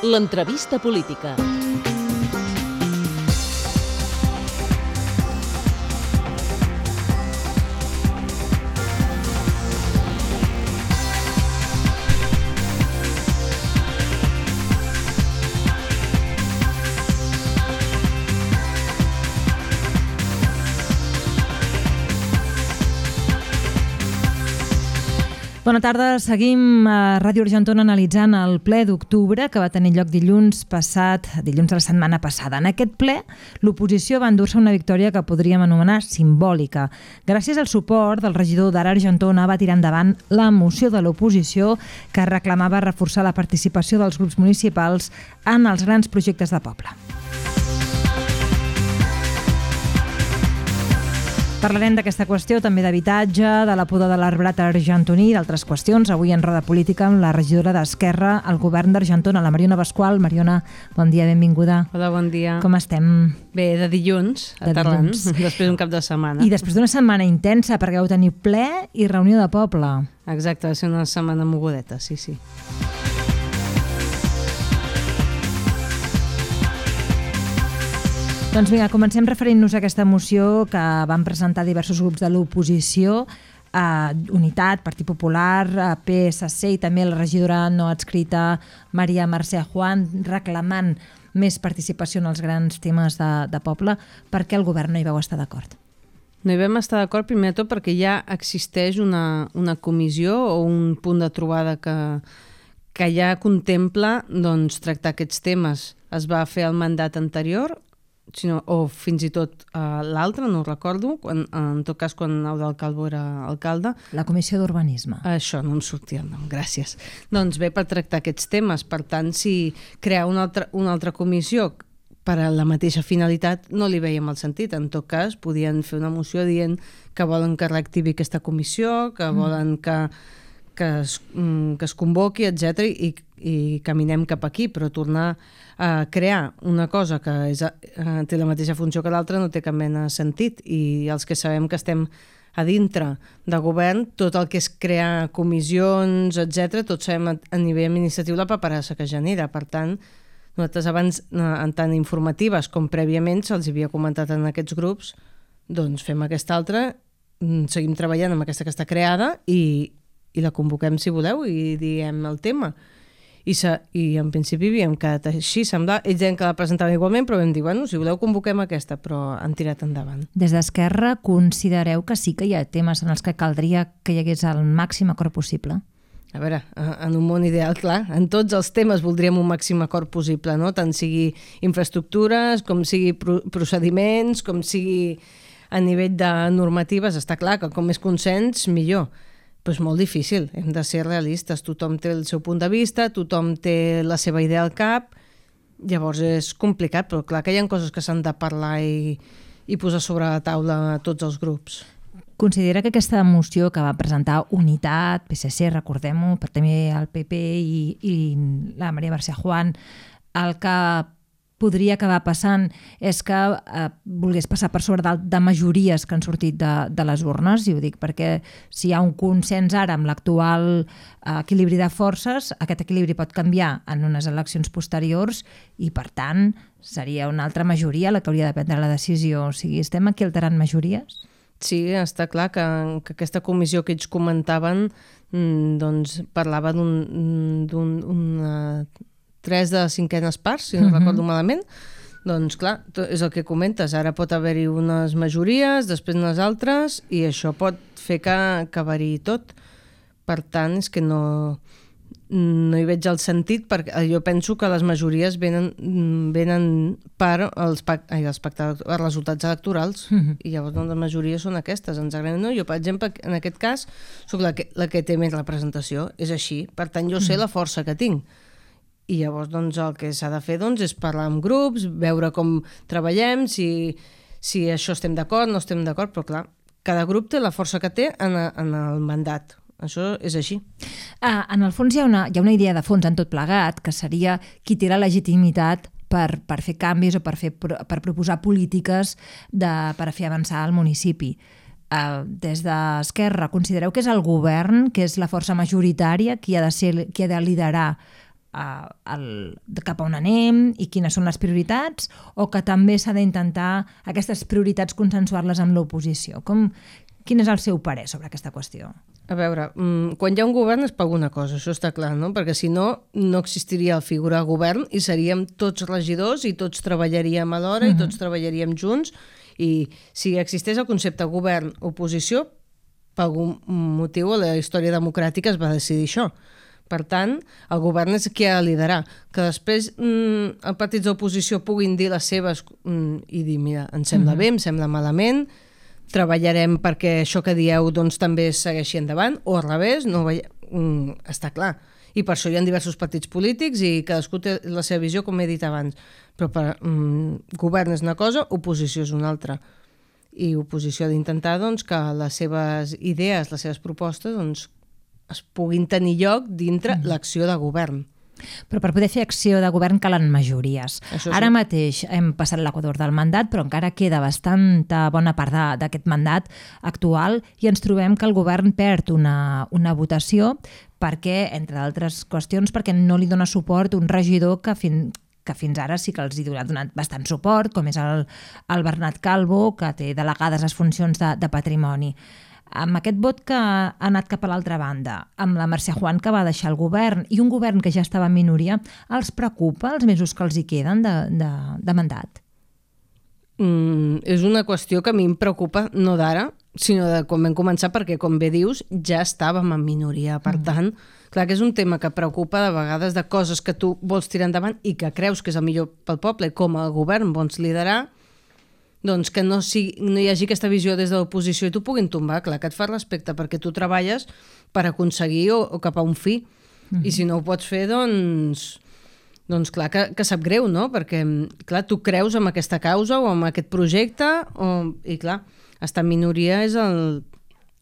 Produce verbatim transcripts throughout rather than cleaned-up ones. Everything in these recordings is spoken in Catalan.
L'entrevista política. Bona tarda, seguim a Ràdio Argentona analitzant el ple d'octubre que va tenir lloc dilluns passat, dilluns de la setmana passada. En aquest ple, l'oposició va endur-se una victòria que podríem anomenar simbòlica. Gràcies al suport del regidor d'Ara Argentona va tirar endavant la moció de l'oposició que reclamava reforçar la participació dels grups municipals en els grans projectes de poble. Parlarem d'aquesta qüestió, també d'habitatge, de la poda de l'arbrat argentoní i d'altres qüestions. Avui en Roda Política amb la regidora d'Esquerra al govern d'Argentona, la Mariona Pasqual. Mariona, bon dia, benvinguda. Hola, bon dia. Com estem? Bé, de dilluns, aterrant, després d'un cap de setmana. I després d'una setmana intensa, perquè vau tenir ple i reunió de poble. Exacte, va ser una setmana mogudeta, sí, sí. Doncs vinga, comencem referint-nos a aquesta moció que van presentar diversos grups de l'oposició, eh, Unitat, Partit Popular, eh, P S C i també la regidora no adscrita Maria Mercè Juan, reclamant més participació en els grans temes de, de poble. Per què el govern no hi vau estar d'acord? No hi vam estar d'acord, primer de tot, perquè ja existeix una, una comissió o un punt de trobada que, que ja contempla doncs, tractar aquests temes. Es va fer el mandat anterior, sinó, o fins i tot uh, l'altre, no ho recordo, quan, en tot cas quan Eudald Calvo era alcalde. La Comissió d'Urbanisme. Això, no em sortia el nom, gràcies. Doncs bé, per tractar aquests temes. Per tant, si crear una altra, una altra comissió per a la mateixa finalitat, no li veiem el sentit. En tot cas, podien fer una moció dient que volen que reactivi aquesta comissió, que mm. volen que, que, es, que es convoqui, etcètera, i, i caminem cap aquí, però tornar a crear una cosa que és, uh, té la mateixa funció que l'altra no té cap mena de sentit, i els que sabem que estem a dintre de govern, tot el que és crear comissions, etcètera, tots sabem a, a nivell administratiu la paperassa que genera. Per tant, nosaltres abans, en tant informatives com prèviament, se'ls havia comentat en aquests grups, doncs fem aquesta altra, seguim treballant amb aquesta que està creada i, i la convoquem si voleu i diem el tema. I, se, i en principi havíem quedat així, sembla, ells deien que la presentaven igualment, però vam dir, bueno, si voleu convoquem aquesta, però han tirat endavant. Des d'Esquerra considereu que sí que hi ha temes en els que caldria que hi hagués el màxim acord possible? A veure, en un món ideal, clar, en tots els temes voldríem un màxim acord possible, no? Tant sigui infraestructures, com sigui procediments, com sigui a nivell de normatives, està clar que com més consens, millor. Però és molt difícil, hem de ser realistes, tothom té el seu punt de vista, tothom té la seva idea al cap, llavors és complicat, però clar que hi ha coses que s'han de parlar i, i posar sobre la taula a tots els grups. Considera que aquesta moció que va presentar Unitat, P S C, recordem-ho, però també el P P i, i la Maria Mercè Juan, el que podria acabar passant és que eh, volgués passar per sobre de, de majories que han sortit de, de les urnes, i ho dic perquè si hi ha un consens ara amb l'actual eh, equilibri de forces, aquest equilibri pot canviar en unes eleccions posteriors i per tant seria una altra majoria la que hauria de prendre la decisió. O sigui, estem aquí alterant majories? Sí, està clar que, que aquesta comissió que ells comentaven doncs parlava d'un... d'un una tres de cinquenes parts, si no uh-huh. recordo malament, doncs clar, és el que comentes, ara pot haver-hi unes majories, després unes altres, i això pot fer que, que variï tot. Per tant, és que no, no hi veig el sentit, perquè jo penso que les majories venen, venen per els, ai, els, pactes, els resultats electorals, uh-huh. i llavors doncs, les majories són aquestes. Ens agrada, no? Jo, per exemple, en aquest cas, soc la que, la que té més representació, és així. Per tant, jo sé uh-huh. la força que tinc. I llavors doncs, el que s'ha de fer doncs, és parlar amb grups, veure com treballem, si, si això estem d'acord, no estem d'acord, però clar, cada grup té la força que té en, en el mandat. Això és així. Ah, en el fons hi ha, una, hi ha una idea de fons en tot plegat, que seria qui té la legitimitat per, per fer canvis o per, fer, per proposar polítiques de, per a fer avançar el municipi. Uh, des d'Esquerra, considereu que és el govern, que és la força majoritària, qui ha de ser, qui ha de liderar uh, el, cap a on anem i quines són les prioritats, o que també s'ha d'intentar aquestes prioritats consensuar-les amb l'oposició? Com, quin és el seu parer sobre aquesta qüestió? A veure, quan hi ha un govern és per alguna cosa, això està clar, no? Perquè si no, no existiria el figura govern i seríem tots regidors i tots treballaríem alhora uh-huh. i tots treballaríem junts, i si existeix el concepte govern-oposició, per algun motiu a la història democràtica es va decidir això. Per tant, el govern és qui ha de liderar. Que després mm, els partits d'oposició puguin dir les seves mm, i dir, mira, em sembla uh-huh. bé, em sembla malament, treballarem perquè això que dieu doncs, també segueixi endavant, o al revés, no veia... mm, està clar. I per això hi ha diversos partits polítics i cadascú té la seva visió, com he dit abans. Però per, mm, govern és una cosa, oposició és una altra. I oposició ha d'intentar doncs, que les seves idees, les seves propostes doncs, es puguin tenir lloc dintre mm. l'acció de govern. Però per poder fer acció de govern calen majories. Això Ara sí. mateix hem passat l'equador del mandat, però encara queda bastanta bona part d'aquest mandat actual i ens trobem que el govern perd una, una votació perquè, entre altres qüestions, perquè no li dona suport un regidor que fins que fins ara sí que els hi ha donat bastant suport, com és el, el Bernat Calvo, que té delegades les funcions de, de patrimoni. Amb aquest vot que ha anat cap a l'altra banda, amb la Mercè Juan que va deixar el govern i un govern que ja estava en minoria, els preocupa els mesos que els hi queden de, de, de mandat? Mm, és una qüestió que a mi em preocupa no d'ara, sinó de quan vam començar, perquè, com bé dius, ja estàvem en minoria. Per mm. tant, clar que és un tema que preocupa de vegades de coses que tu vols tirar endavant i que creus que és el millor pel poble, com a govern vols liderar, doncs que no, sigui, no hi hagi aquesta visió des de l'oposició i t'ho puguin tombar. Clar que et fa respecte perquè tu treballes per aconseguir o, o cap a un fi. Mm-hmm. I si no ho pots fer, doncs, doncs clar que, que sap greu, no? Perquè clar, tu creus en aquesta causa o en aquest projecte o, i clar, estar en minoria és el,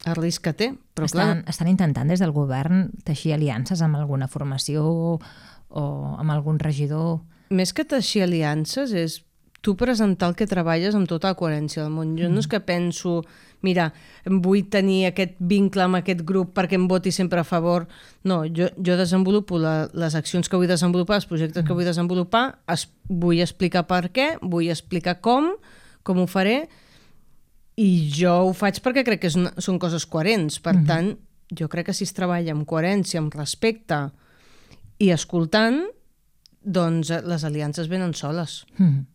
el risc que té. Però, estan, clar, estan intentant des del govern teixir aliances amb alguna formació o amb algun regidor? Més que teixir aliances és tu presentar el que treballes amb tota la coherència del món. Jo no és que penso, mira, vull tenir aquest vincle amb aquest grup perquè em voti sempre a favor. No, jo, jo desenvolupo la, les accions que vull desenvolupar, els projectes que vull desenvolupar, es, vull explicar per què, vull explicar com, com ho faré, i jo ho faig perquè crec que és una, són coses coherents. Per mm-hmm. tant, jo crec que si es treballa amb coherència, amb respecte i escoltant, doncs les aliances venen soles. Mm-hmm.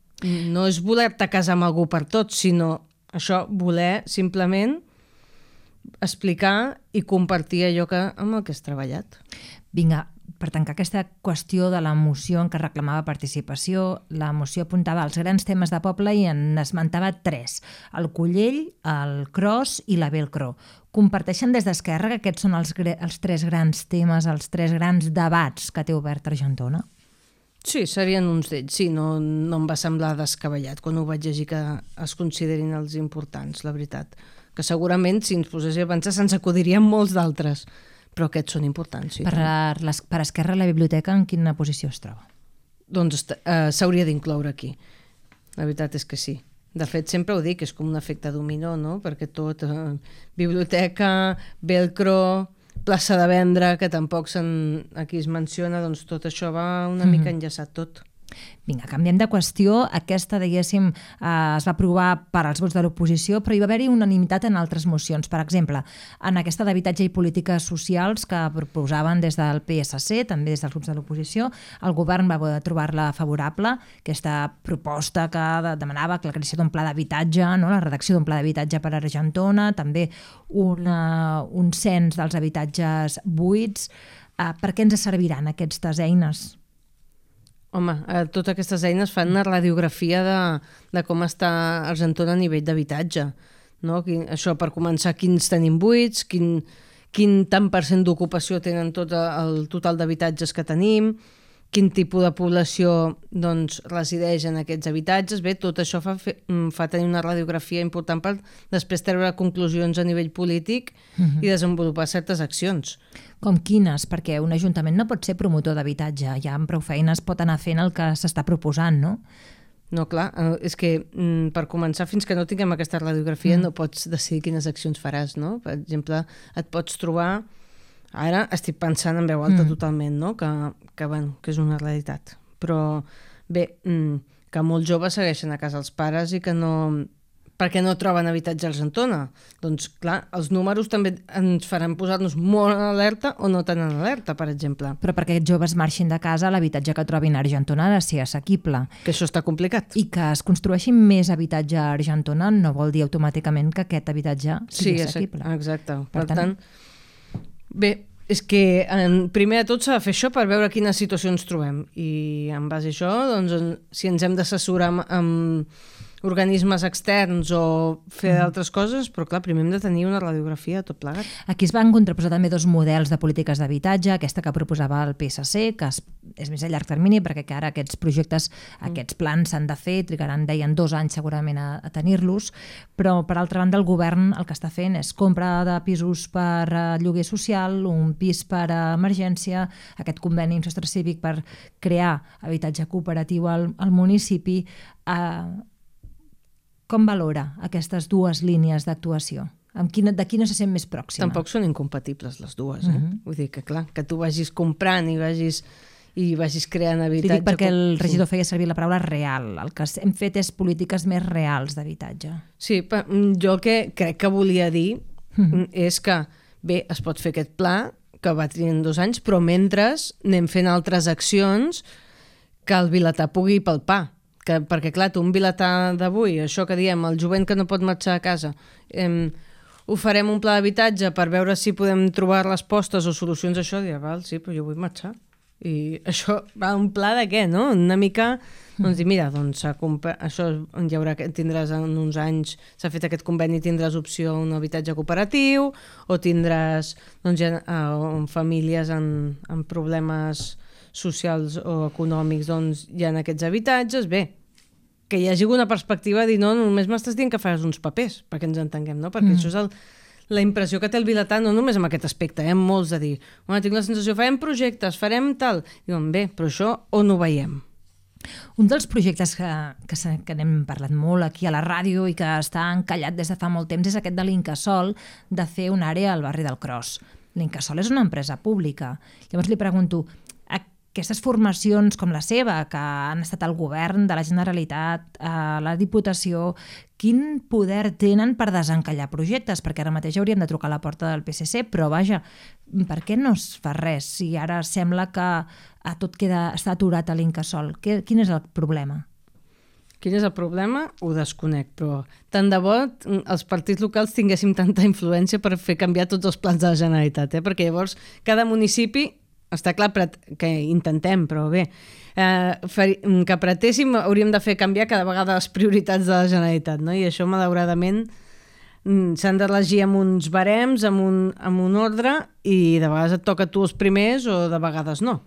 No és voler-te casar amb algú per tot, sinó això, voler simplement explicar i compartir allò que, amb el que has treballat. Vinga, per tancar aquesta qüestió de la moció en què reclamava participació, la moció apuntava als grans temes de poble i en esmentava tres: el Collell, el Cros i la Velcro. Comparteixen des d'Esquerra que aquests són els, els tres grans temes, els tres grans debats que té obert Argentona? Sí, serien uns d'ells. Sí, no, no em va semblar descabellat quan ho vaig llegir que es considerin els importants, la veritat. Que segurament, si ens poséssim a pensar, se'ns acudirien molts d'altres, però aquests són importants. Sí, per, les, per Esquerra, la biblioteca en quina posició es troba? Doncs eh, s'hauria d'incloure aquí. La veritat és que sí. De fet, sempre ho dic, és com un efecte dominó, no? Perquè tot, eh, biblioteca, Velcro, plaça de vendre, que tampoc aquí es menciona, doncs tot això va una mm-hmm. mica enllaçat tot. Vinga, canviem de qüestió. Aquesta, diguéssim, eh, es va aprovar per als vots de l'oposició, però hi va haver-hi unanimitat en altres mocions. Per exemple, en aquesta d'habitatge i polítiques socials que proposaven des del P S C, també des dels grups de l'oposició, el govern va trobar-la favorable, aquesta proposta que demanava la creació d'un pla d'habitatge, no? La redacció d'un pla d'habitatge per a Argentona, també una, un cens dels habitatges buits. Eh, per què ens serviran aquestes eines? Home, eh, totes aquestes eines fan una radiografia de, de com està Argentona a nivell d'habitatge. No? Això, per començar, quins tenim buits, quin, quin tant per cent d'ocupació tenen tot el total d'habitatges que tenim, quin tipus de població doncs, resideix en aquests habitatges. Bé, tot això fa, fa tenir una radiografia important per després treure conclusions a nivell polític uh-huh. i desenvolupar certes accions. Com quines? Perquè un ajuntament no pot ser promotor d'habitatge, ja amb prou feines pot anar fent el que s'està proposant, no? No, clar, és que per començar, fins que no tinguem aquesta radiografia mm. no pots decidir quines accions faràs, no? Per exemple, et pots trobar Ara estic pensant en veu alta Mm. totalment, no? Que, que, bueno, que és una realitat. Però bé, mm, que molts joves segueixen a casa els pares i que no... perquè no troben habitatge a Argentona. Doncs clar, els números també ens faran posar-nos molt en alerta o no tan en alerta, per exemple. Però perquè aquests joves marxin de casa, l'habitatge que trobin a Argentona ha de ser assequible. Que això està complicat. I que es construeixi més habitatge a Argentona no vol dir automàticament que aquest habitatge sigui Sí, assequible. exacte. Per, Per tant, tant, bé, és que en, primer de tot s'ha de fer això per veure quina situació ens trobem. I en base a això, doncs, en, si ens hem d'assessorar amb, amb organismes externs o fer d'altres coses, però clar, primer hem de tenir una radiografia tot plegat. aquí es van contraposar també dos models de polítiques d'habitatge, aquesta que proposava el P S C, que és, és més a llarg termini, perquè que ara aquests projectes, aquests plans s'han de fer, trigaran, deien, dos anys segurament a, a tenir-los, però per altra banda el govern el que està fent és compra de pisos per a lloguer social, un pis per a emergència, aquest conveni amb Sostre Cívic per crear habitatge cooperatiu al, al municipi. Eh, com valora aquestes dues línies d'actuació? Amb quina, de quina se sent més pròxima? Tampoc són incompatibles les dues, eh? Mhm. Vull dir que clar, que tu vagis comprant i vagis, i vagis creant Li habitatge... dic perquè el com- regidor feia servir la paraula real. El que hem fet és polítiques més reals d'habitatge. Sí, però jo el que crec que volia dir Mhm. és que, bé, es pot fer aquest pla, que va tenir dos anys, però mentre anem fent altres accions que el vilatà pugui palpar. Que, perquè, clar, tu un vilatà d'avui, això que diem, el jovent que no pot marxar a casa, eh, ho farem un pla d'habitatge per veure si podem trobar respostes o solucions a això, dirà, val, sí, però jo vull marxar. I això va un pla de què, no? Una mica, doncs dir, mira, doncs això hi haurà, tindràs en uns anys, s'ha fet aquest conveni, tindràs opció a un habitatge cooperatiu, o tindràs, doncs, ja, uh, famílies en, en problemes socials o econòmics, doncs hi ha aquests habitatges, bé, que hi hagi una perspectiva de dir, no, només m'estàs dient que faràs uns papers, perquè ens entenguem, no? Perquè mm. això és el, la impressió que té el vilatà, no només amb aquest aspecte, eh? Molts de dir, bueno, tinc la sensació, farem projectes, farem tal, diuen, bé, però això on ho veiem? Un dels projectes que, que, que n'hem parlat molt aquí a la ràdio i que està encallat des de fa molt temps és aquest de l'Incasòl, de fer una àrea al barri del Cros. L'Incasòl és una empresa pública. Llavors li pregunto, aquestes formacions com la seva, que han estat al govern de la Generalitat, a la Diputació, quin poder tenen per desencallar projectes? Perquè ara mateix hauríem de trucar a la porta del P S C, però vaja, per què no es fa res si ara sembla que tot queda, està aturat a l'Incasòl? Quin és el problema? Quin és el problema? Ho desconec, però tant de bo els partits locals tinguéssim tanta influència per fer canviar tots els plans de la Generalitat, eh? Perquè llavors cada municipi està clar que intentem, però bé, eh, que apretéssim hauríem de fer canviar cada vegada les prioritats de la Generalitat, no? I això, malauradament, s'han de regir amb uns barems, amb un, amb un ordre, i de vegades et toca a tu els primers o de vegades no.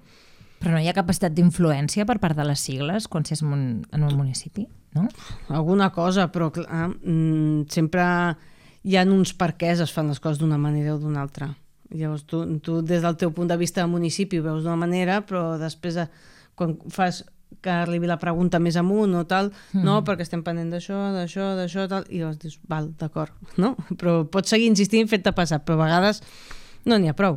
Però no hi ha capacitat d'influència per part de les sigles quan s'és en un municipi, no? Alguna cosa, però clar, sempre hi ha uns perquès es fan les coses d'una manera o d'una altra. Llavors tu, tu des del teu punt de vista del municipi ho veus d'una manera, però després de, quan fas que arribi la pregunta més amunt o tal, mm. no, perquè estem pendent d'això, d'això, d'això, tal, i llavors dius, val, d'acord, no? Però pots seguir insistint fent-te passar, però a vegades no n'hi ha prou.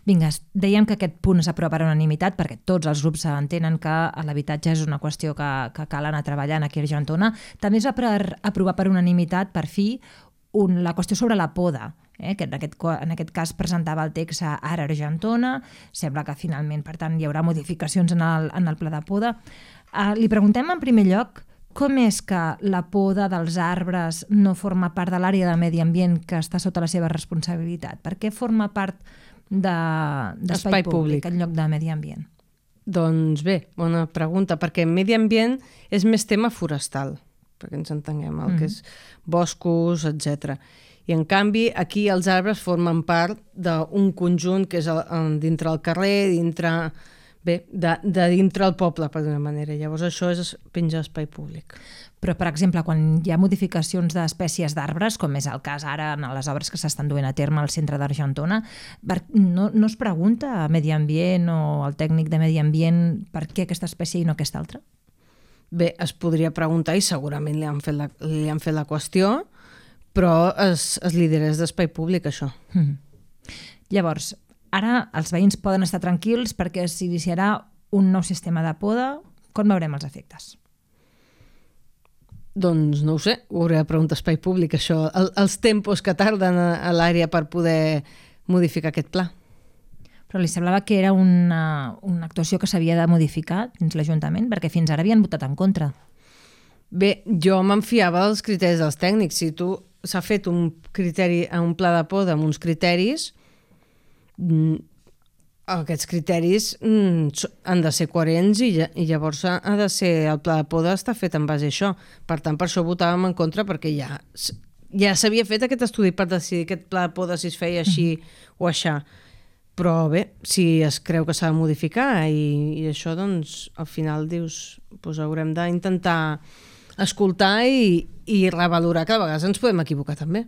Vinga, dèiem que aquest punt s'aprova per unanimitat perquè tots els grups entenen que l'habitatge és una qüestió que, que cal anar treballant aquí a Argentona. També es va per, aprovar per unanimitat, per fi, un, la qüestió sobre la poda, eh, que en aquest, en aquest cas presentava el text a Ara Argentona. Sembla que finalment, per tant, hi haurà modificacions en el, en el pla de poda. Uh, li preguntem en primer lloc com és que la poda dels arbres no forma part de l'àrea de medi ambient que està sota la seva responsabilitat? Per què forma part d'espai públic en lloc de medi ambient? Doncs bé, bona pregunta, perquè medi ambient és més tema forestal, perquè ens entenguem, el mm. que és boscos, etcètera. I en canvi aquí els arbres formen part d'un conjunt que és el, dintre el carrer, dintre... Bé, de, de dintre el poble, per d'una manera. Llavors això és penja d'espai públic. Però, per exemple, quan hi ha modificacions d'espècies d'arbres, com és el cas ara en les obres que s'estan duent a terme al centre d'Argentona, no, no es pregunta a Medi Ambient o al tècnic de Medi Ambient per què aquesta espècie i no aquesta altra? Bé, es podria preguntar i segurament li han fet la, li han fet la qüestió, però es, es liderés d'espai públic, això. Mm. Llavors, ara els veïns poden estar tranquils perquè s'iniciarà un nou sistema de poda. Com veurem els efectes? Doncs no ho sé, ho hauré de preguntar a Espai Públic, això, el, els tempos que tarden a, a l'àrea per poder modificar aquest pla. Però li semblava que era una, una actuació que s'havia de modificar dins l'Ajuntament, perquè fins ara havien votat en contra. Bé, jo me'n fiava dels criteris dels tècnics. Si tu s'ha fet un criteri, un pla de poda amb uns criteris, aquests criteris han de ser coherents i, i llavors ha de ser, el pla de poda està fet en base a això. Per tant, per això votàvem en contra, perquè ja, ja s'havia fet aquest estudi per decidir aquest pla de poda si es feia així mm-hmm. o aixà. Però bé, si es creu que s'ha de modificar i, i això, doncs, al final dius, doncs haurem d'intentar escoltar i, i revalorar, que a vegades ens podem equivocar també.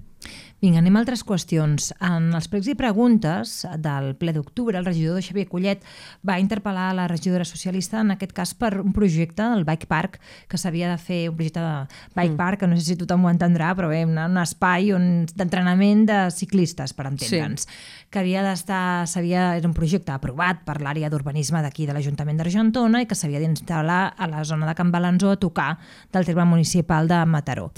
Vinga, anem a altres qüestions. En els pregs i preguntes del ple d'octubre, el regidor Xavier Collet va interpel·lar la regidora socialista, en aquest cas per un projecte, el Bike Park, que s'havia de fer, un projecte de Bike mm. Park, que no sé si tothom ho entendrà, però bé, un, un espai on, d'entrenament de ciclistes, per entendre'ns, sí. que havia d'estar, s'havia, era un projecte aprovat per l'àrea d'urbanisme d'aquí de l'Ajuntament d'Argentona i que s'havia d'instal·lar a la zona de Can Balanzó a tocar del terme municipal de Mataró.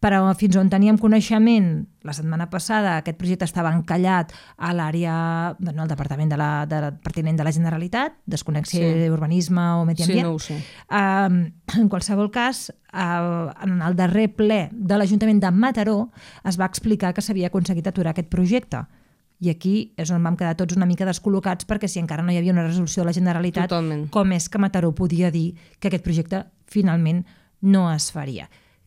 Però fins on teníem coneixement, la setmana passada aquest projecte estava encallat a l'àrea, no, al departament de la, de, pertinent de la Generalitat, desconnexió sí. d'urbanisme o medi ambient. Sí, no ho sé. Uh, en qualsevol cas, uh, en el darrer ple de l'Ajuntament de Mataró es va explicar que s'havia aconseguit aturar aquest projecte. I aquí és on vam quedar tots una mica descol·locats, perquè si encara no hi havia una resolució de la Generalitat, Totalment. Com és que Mataró podia dir que aquest projecte finalment no es faria?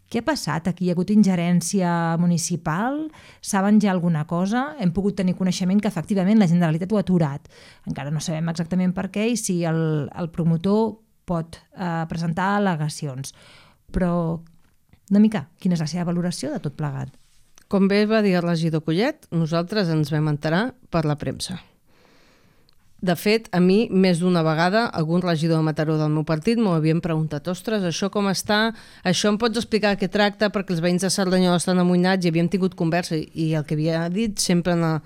Què ha passat? Aquí hi ha hagut ingerència municipal? Saben ja alguna cosa? Hem pogut tenir coneixement que efectivament la Generalitat ho ha aturat. Encara no sabem exactament per què i si el, el promotor pot eh, presentar al·legacions. Però, una mica, quina és la seva valoració de tot plegat? Com bé va dir el regidor Collet, nosaltres ens vam enterar per la premsa. De fet, a mi, més d'una vegada, algun regidor de Mataró del meu partit m'ho havien preguntat: ostres, això com està? Això em pots explicar què tracta? Perquè els veïns de Cerdanyola estan amoïnats i havíem tingut conversa i el que havia dit sempre... No...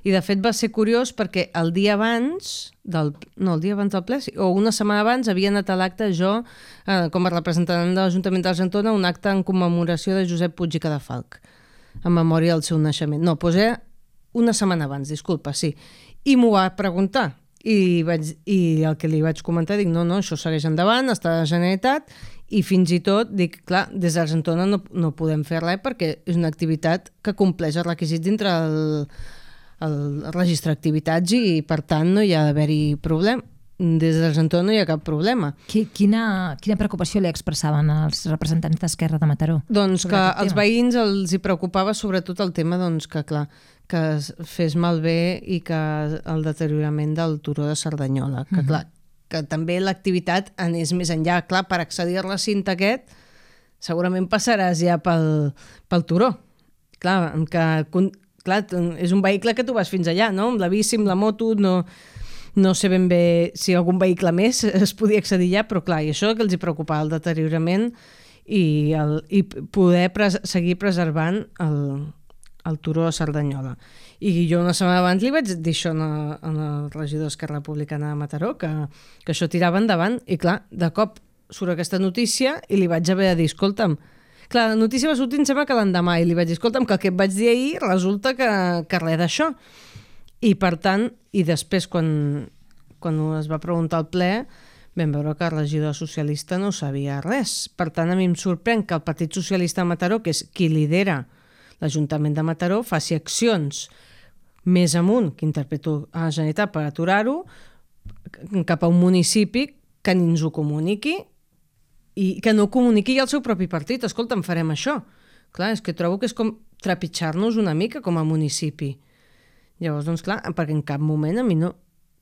I de fet va ser curiós perquè el dia abans, del... no, el dia abans del ple, o una setmana abans, havia anat a l'acte jo, eh, com a representant de l'Ajuntament d'Argentona, un acte en commemoració de Josep Puig i Cadafalch, en memòria del seu naixement. No, doncs era una setmana abans, disculpa, sí. I m'ho va preguntar i, vaig, i el que li vaig comentar, dic, no, no, això segueix endavant, està a la Generalitat, i fins i tot, dic, clar, des d'Argentona no, no podem fer res perquè és una activitat que compleix els requisits dintre el, el registre d'activitats i, per tant, no hi ha d'haver-hi problema. Des d'Argentona no hi ha cap problema. Quina, quina preocupació li expressaven els representants d'Esquerra de Mataró? Doncs que als veïns els hi preocupava sobretot el tema doncs, que, clar, que es fes malbé i que el deteriorament del turó de Cerdanyola. Que, clar, que també l'activitat anés més enllà. Clar, per accedir al recinte aquest segurament passaràs ja pel, pel turó. Clar, que, clar, és un vehicle que tu vas fins allà, no? Amb la bici, amb la moto, no... No sé ben bé si algun vehicle més es podia accedir ja, però clar, i això que els hi preocupava, el deteriorament i, el, i poder pres seguir preservant el, el turó de Cerdanyola. I jo una setmana abans li vaig dir això al regidor d'Esquerra Republicana de Mataró, que, que això tirava endavant, i clar, de cop surt aquesta notícia i li vaig haver de dir, escolta'm, clar, la notícia va sortir, em sembla que l'endemà, i li vaig dir, escolta'm, que el que et vaig dir ahir resulta que, que res d'això. I per tant, i després quan, quan es va preguntar al ple, vam veure que el regidor socialista no sabia res. Per tant, a mi em sorprèn que el Partit Socialista de Mataró, que és qui lidera l'Ajuntament de Mataró, faci accions més amunt, que interpreto a la Generalitat per aturar-ho, cap a un municipi que ni ens ho comuniqui i que no comuniqui al seu propi partit. Escolta, en farem això. Clar, és que trobo que és com trepitjar-nos una mica com a municipi. Llavors, doncs clar, perquè en cap moment a mi no,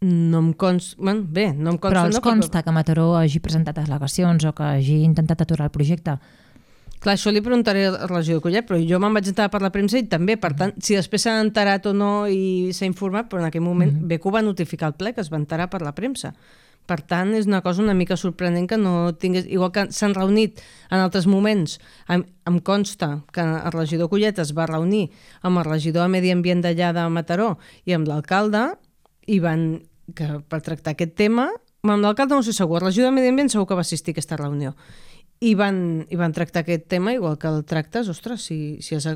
no em consta... Bueno, bé, no em consta... Però els no, consta que Mataró hagi presentat al·legacions o que hagi intentat aturar el projecte? Clar, això li preguntaré al regidor Collet, però jo me'n vaig enterar per la premsa i també, per tant, si després s'ha enterat o no i s'ha informat, però en aquell moment mm -hmm. bé que ho va notificar el ple, que es va enterar per la premsa. Per tant, és una cosa una mica sorprenent que no tingués... Igual que s'han reunit en altres moments, em, em consta que el regidor Collet es va reunir amb el regidor de Medi Ambient d'allà de Mataró i amb l'alcalde, i van, que per tractar aquest tema, amb l'alcalde no sé segur, la regidora de Medi Ambient segur que va assistir a aquesta reunió, i van, i van tractar aquest tema igual que el tractes, ostres, si, si has,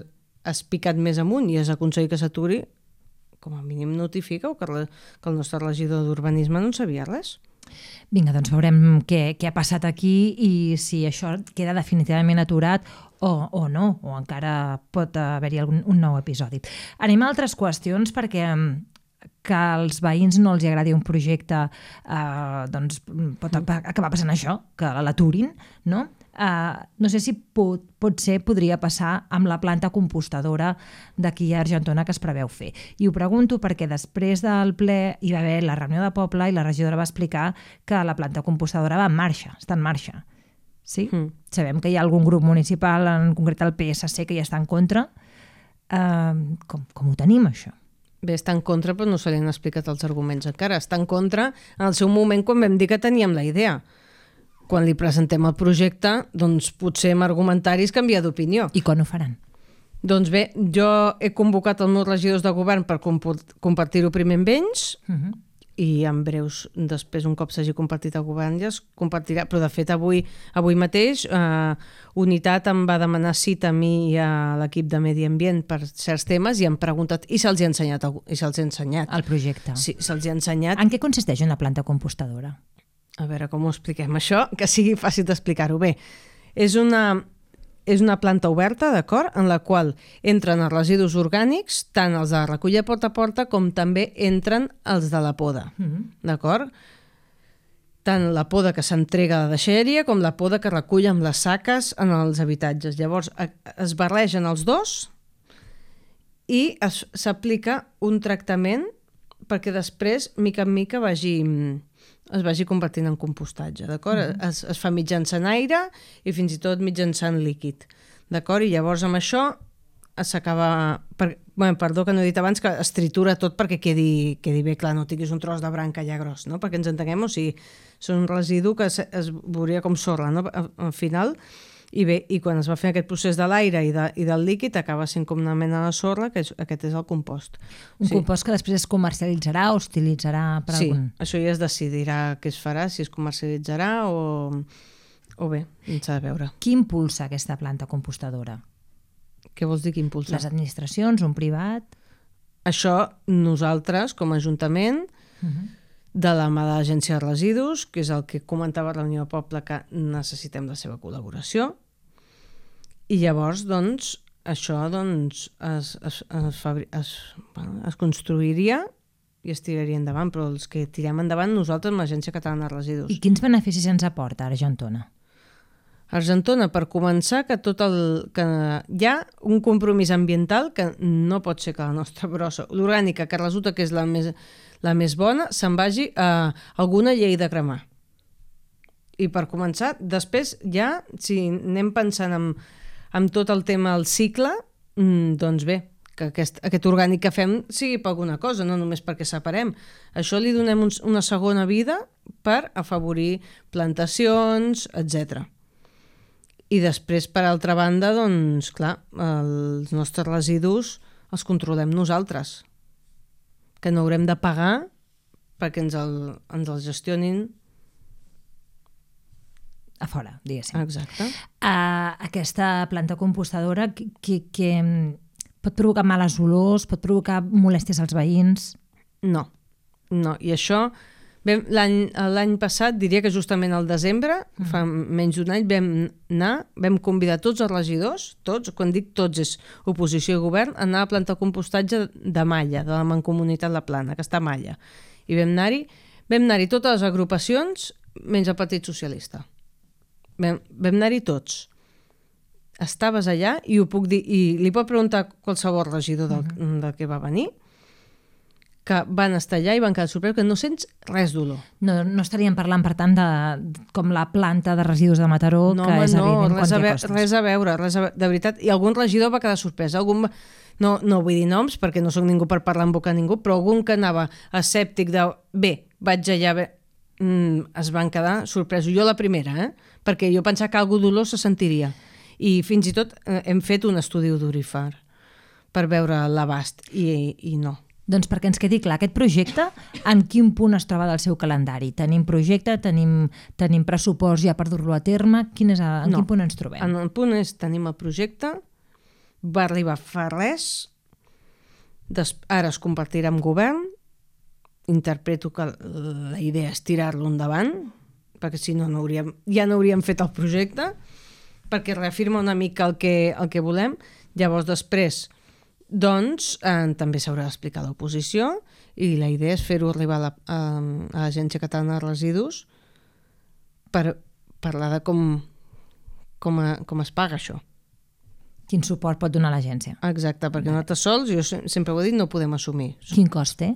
has picat més amunt i has aconseguit que s'aturi, com a mínim notifica que, la, que el nostre regidor d'Urbanisme no en sabia res. Vinga, doncs veurem què, què ha passat aquí i si això queda definitivament aturat o, o no, o encara pot haver-hi algun, un nou episodi. Anem a altres qüestions perquè que als veïns no els agradi un projecte eh, doncs pot acabar passant això, que l'aturin, no? Uh, no sé si pot, potser podria passar amb la planta compostadora d'aquí a Argentona que es preveu fer. I ho pregunto perquè després del ple hi va haver la reunió de poble i la regidora va explicar que la planta compostadora va en marxa, està en marxa. Sí? Mm. Sabem que hi ha algun grup municipal, en concret el P S C, que ja està en contra. Uh, com, com ho tenim, això? Bé, està en contra, però no se li han explicat els arguments encara. Està en contra en el seu moment quan vam dir que teníem la idea. Quan li presentem el projecte, doncs potser amb argumentaris canvia d'opinió. I quan ho faran? Doncs bé, jo he convocat els meus regidors de govern per compartir-ho primer amb ells, uh -huh. i en breus, després, un cop s'hagi compartit el govern, ja es compartirà. Però, de fet, avui, avui mateix, eh, Unitat em va demanar cita a mi i a l'equip de Medi Ambient per certs temes i han preguntat, i se'ls ha ensenyat, i se'ls ha ensenyat. El projecte. Sí, se'ls ha ensenyat. En què consisteix una planta compostadora? A veure com ho expliquem això, que sigui fàcil d'explicar-ho bé. És una, és una planta oberta, d'acord?, en la qual entren els residus orgànics, tant els de recollir porta a porta com també entren els de la poda, mm-hmm. d'acord? Tant la poda que s'entrega a la deixalleria com la poda que recull amb les saques en els habitatges. Llavors es barregen els dos i s'aplica un tractament perquè després, mica en mica, vagi... es vagi convertint en compostatge, d'acord? Mm-hmm. Es, es fa mitjançant aire i fins i tot mitjançant líquid, d'acord? I llavors amb això s'acaba... Per, bueno, perdó que no he dit abans, que es tritura tot perquè quedi, quedi bé clar, no tinguis un tros de branca ja gros, no? Perquè ens entenguem, o sigui, són un residu que es, es veuria com sorra, no? Al final, i bé, i quan es va fer aquest procés de l'aire i, de, i del líquid acaba sent com una mena de sorra, que és, aquest és el compost. Un sí. compost que després es comercialitzarà o es utilitzarà per sí, algun... Sí, això ja es decidirà què es farà, si es comercialitzarà o, o bé, s'ha de veure. Qui impulsa aquesta planta compostadora? Què vols dir que impulsa? Les administracions, un privat? Això nosaltres, com a Ajuntament, uh-huh. de la mà de l'Agència de Residus, que és el que comentava a la reunió de poble, que necessitem la seva col·laboració, i llavors, doncs, això doncs, es, es, es, fabri... es, bueno, es construiria i es tiraria endavant, però els que tirem endavant nosaltres amb l'Agència Catalana de Residus. I quins beneficis ens aporta Argentona? Argentona, per començar, que tot el que hi ha un compromís ambiental que no pot ser que la nostra brossa, l'orgànica, que resulta que és la més, la més bona, se'n vagi a alguna llei de cremar. I per començar, després ja, si anem pensant en, en tot el tema del cicle, doncs bé, que aquest, aquest orgànic que fem sigui per alguna cosa, no només perquè separem. Això li donem un, una segona vida per afavorir plantacions, etcètera. I després, per altra banda, doncs, clar, els nostres residus els controlem nosaltres, que no haurem de pagar perquè ens el, ens el gestionin a fora, diguéssim. Exacte. Uh, aquesta planta compostadora que, que, que pot provocar males olors, pot provocar molèsties als veïns? No, no. I això, l'any passat, diria que justament al desembre, mm. fa menys d'un any, vam anar, vam convidar tots els regidors, tots, quan dic tots és oposició i govern, a anar a plantar compostatge de Malla, de la Mancomunitat La Plana, que està a Malla. I vam anar-hi, vam anar-hi totes les agrupacions, menys el Partit Socialista. Vam, vam anar-hi tots. Estaves allà i ho puc dir, i li pot preguntar qualsevol regidor del, uh-huh. del que va venir, que van estar allà i van quedar sorpresos, que no sents res d'olor. No, no estaríem parlant, per tant, de, com la planta de residus de Mataró, no, que home, és no, evident res quan a hi ha costes. Res a veure, res a veure, de veritat. I algun regidor va quedar sorprès. Algun va... no, no vull dir noms, perquè no sóc ningú per parlar en boca a ningú, però algun que anava escèptic de bé, vaig allà, bé, mm, es van quedar sorpresos. Jo la primera, eh? Perquè jo pensava que algú d'olor se sentiria. I fins i tot eh, hem fet un estudi odorífer per veure l'abast, i, i no. Doncs perquè ens quedi clar, aquest projecte, en quin punt es troba del seu calendari? Tenim projecte, tenim, tenim pressupost ja per dur-lo a terme? Quin és el, en no. quin punt ens trobem? En el punt és, tenim el projecte, va arribar fa res, des, ara es compartirà amb govern, interpreto que la idea és tirar-lo endavant, perquè si no, no hauríem, ja no hauríem fet el projecte, perquè reafirma una mica el que, el que volem. Llavors, després, doncs, eh, també s'haurà d'explicar l'oposició i la idea és fer-ho arribar a, la, a, a l'Agència Catalana de Residus per parlar de com, com, a, com es paga això. Quin suport pot donar l'agència? Exacte, perquè nosaltres sols, jo sempre ho he dit, no ho podem assumir. Quin cost té?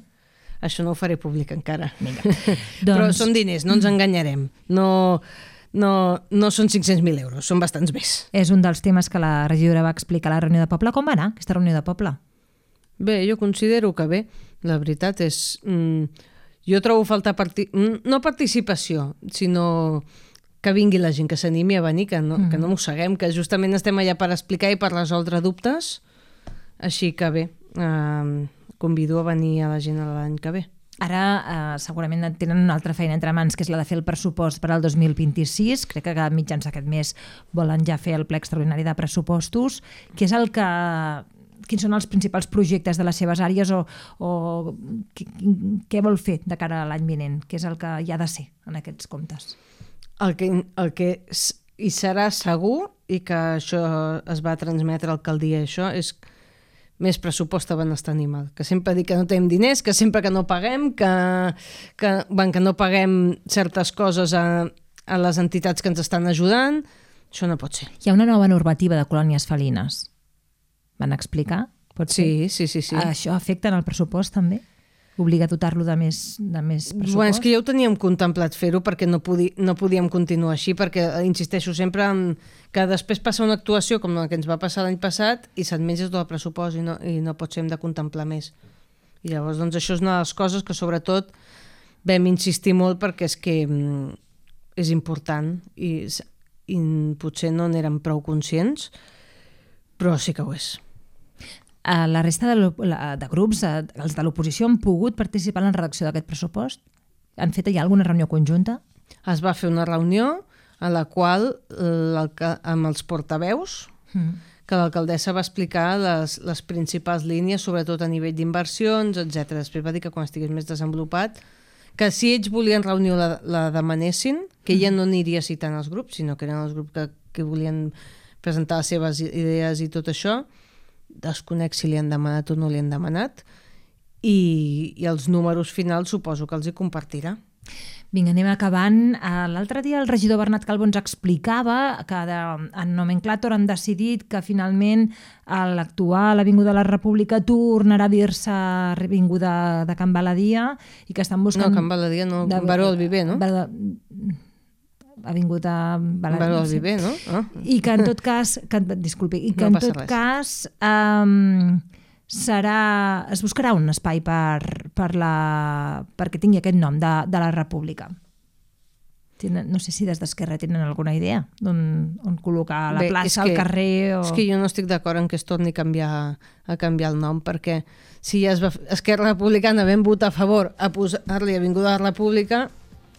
Això no ho faré públic encara. Vinga. Però Doncs... són diners, no ens enganyarem. No, no, no són cinc-cents mil euros, són bastants més. És un dels temes que la regidora va explicar a la reunió de poble. Com va anar aquesta reunió de poble? Bé, jo considero que bé. La veritat és... Mm, jo trobo falta... Parti no participació, sinó que vingui la gent, que s'animi a venir, que no, mm. que no mosseguem, que justament estem allà per explicar i per resoldre dubtes. Així que bé, eh, convido a venir a la gent l'any que ve. Ara eh, segurament tenen una altra feina entre mans, que és la de fer el pressupost per al dos mil vint-i-sis. Crec que a mitjans d'aquest mes volen ja fer el ple extraordinari de pressupostos. Què és el que... Quins són els principals projectes de les seves àrees o, o què vol fer de cara a l'any vinent? Què és el que hi ha de ser en aquests comptes? El que, el que hi serà segur, i que això es va transmetre a l'alcaldia, això és més pressupost a benestar animal. Que sempre dic que no tenim diners, que sempre que no paguem, que, que, ben, que no paguem certes coses a, a les entitats que ens estan ajudant. Això no pot ser. Hi ha una nova normativa de colònies felines. Van explicar? Pot ser? Sí, sí, sí, sí. Això afecta en el pressupost també? Obliga a dotar-lo de més, de més pressupost? Bueno, és que ja ho teníem contemplat fer-ho perquè no, podi, no podíem continuar així, perquè insisteixo sempre en que després passa una actuació com la que ens va passar l'any passat i se't menges tot el pressupost i no, i no pot ser, hem de contemplar més. I llavors doncs, això és una de les coses que sobretot vam insistir molt perquè és que mm, és important i, i potser no n'érem prou conscients, però sí que ho és. La resta de, de grups, els de l'oposició, han pogut participar en la redacció d'aquest pressupost? Han fet ja alguna reunió conjunta? Es va fer una reunió a la qual, amb els portaveus, mm. que l'alcaldessa va explicar les, les principals línies, sobretot a nivell d'inversions, etcètera. Després va dir que quan estigués més desenvolupat, que si ells volien reunió la, la demanessin, que ella no aniria citant els grups, sinó que eren els grups que, que volien presentar les seves idees i tot això. Desconec si li han demanat o no li han demanat, i, i els números finals suposo que els hi compartirà. Vinga, anem acabant. L'altre dia el regidor Bernat Calvo ens explicava que de, en Nomenclàtor han decidit que finalment l'actual Avinguda de la República tornarà a dir-se Avinguda de Can Baladia i que estan buscant... No, Can Baladia no, de, Baró del Viver, no? Baró, Avinguda Baladia. Baró del Viver, no? Ah. I que en tot cas, que, disculpi, i que no en tot res. cas um, serà, es buscarà un espai per, per la, perquè tingui aquest nom de, de la República. Tenen, no sé si des d'Esquerra tenen alguna idea on, on col·locar la Bé, plaça, que, el carrer... O... És que jo no estic d'acord en que es torni a canviar, a canviar el nom, perquè si ja es va, Esquerra Republicana vam votar a favor a posar-li Avinguda de la República,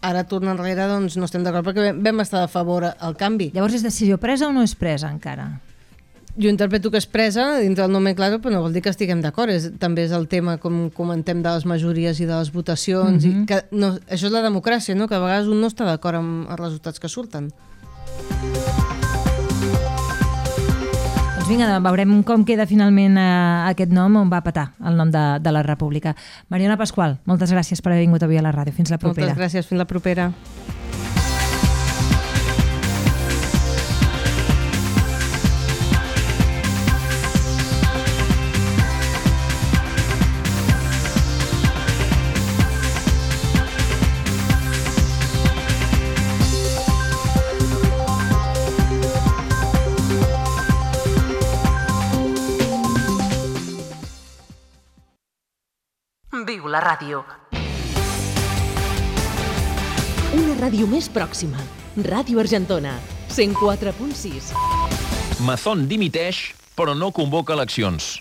ara torna enrere, doncs no estem d'acord perquè vam estar a favor al canvi. Llavors és decisió presa o no és presa encara? Jo interpreto que és presa dintre del nomenclàtor, però no vol dir que estiguem d'acord. És, també és el tema, com comentem, de les majories i de les votacions. Mm-hmm. i que, no, això és la democràcia, no? Que a vegades un no està d'acord amb els resultats que surten. Doncs vinga, veurem com queda finalment eh, aquest nom, on va petar el nom de, de la República. Mariona Pasqual, moltes gràcies per haver vingut avui a la ràdio. Fins la propera. Moltes gràcies, fins la propera. Viu la ràdio. Una ràdio més pròxima. Ràdio Argentona, cent quatre punt sis. Mazón dimiteix, però no convoca eleccions.